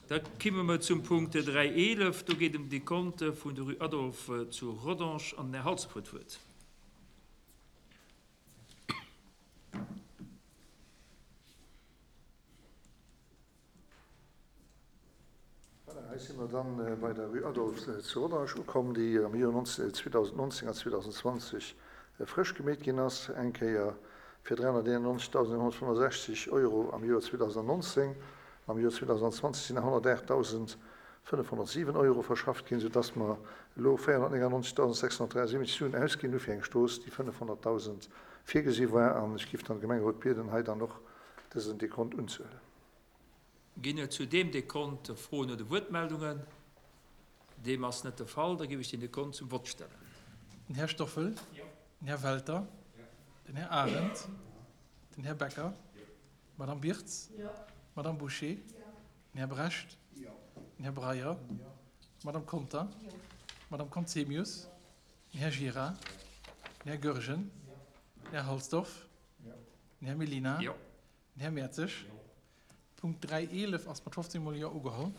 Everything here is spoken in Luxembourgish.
Da kimme mer zum Punkt 3.11. Do geet em d'Dekonte vun der Rue Adolphe zu Rodange an den Här Halsdorf huet d'Wuert. Voilà, hei si mer dann bei der Rue Adolphe zu Rodange ukomm, déi am Joer 2019 an 2020 frësch gemeet ginn ass, eng Kéier fir 391.165 Euro am Joer 2019 an am Joer 2020 sinn nach 108.507 Euro verschafft ginn, soudass mer elo 499.673 Suen ausginn hu fir eng Strooss, déi 500.000 virgesi war. An ech géif dann de Gemengerot bieden, hei dann och dësen Dekont unzehuelen. Ginn et zu deem Dekont Froen oder Wuertmeldungen? Deem ass net de Fall. Da géif ech den Dekont zum Vott stellen. Den Här Stoffel. Den Här Welter. Den Här Arendt. Den Här Becker. D'Madame Birtz. D'Madame Bouché. Den Här Brecht. Den Här Breyer. D'Madame Conter. D'Madame Conzemius. Den Här Gira. Den Här Goergen. Den Här Halsdorf. Den Här Mellina. Den Här Mertzig. Punkt 3.11 ass mat 15 mol Jo ugeholl.